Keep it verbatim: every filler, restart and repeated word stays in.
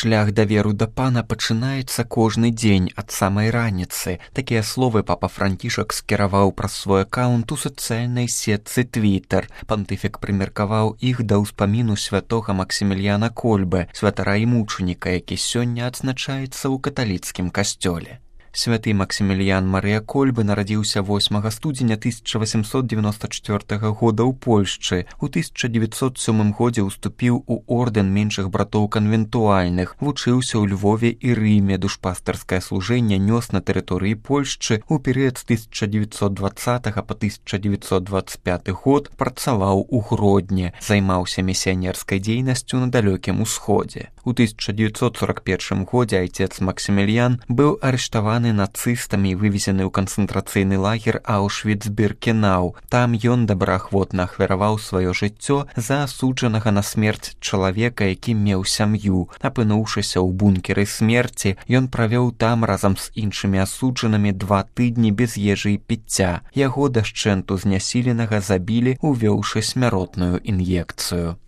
Шлях даверу да пана пачынаецца кожны дзень ад самай раніцы. Такія словы папа Францішак скіраваў праз свой аккаунт у сацыяльнай сетцы Твіттер. Пантыфік прымеркаваў іх да ўспаміну святога Максіміліяна Кольбы, святара і мучаніка, які сёння адзначаецца ў каталіцкім касцёле. Святы Максіміліян Марыя Кольбы нарадзіўся восьмага студзеня тысяча васемсот девяносто четвёртага года ў Польшчы. У тысяча девятьсот сёмым годзе ўступіў у ордэн меншых братоў канвентуальных, вучыўся ў Львове і Рыме, душпастарскае служэнне нёс на тэрыторыі Польшчы. У перыяд з тысяча девятьсот двадцатага па тысяча девятьсот двадцать пяты год працаваў у Гродні, займаўся місіянерскай дзейнасцю на далёкім усходзе. У тысяча девятьсот сорок первым годзе айцец Максіміліян быў арыштаваны нацыстамі і вывезены ў канцэнтрацыйны лагер Аўшвіц-Біркенау. Там ён добраахвотна ахвяраваў сваё жыццё за асуджанага на смерць чалавека, які меў сям'ю. Апынуўшыся ў бункеры смерці, ён правёў там разам з іншымі асуджанымі два тыдні без ежы і піцця. Яго дашчэнту знясіленага забілі, увёўшы смяротную ін'екцыю.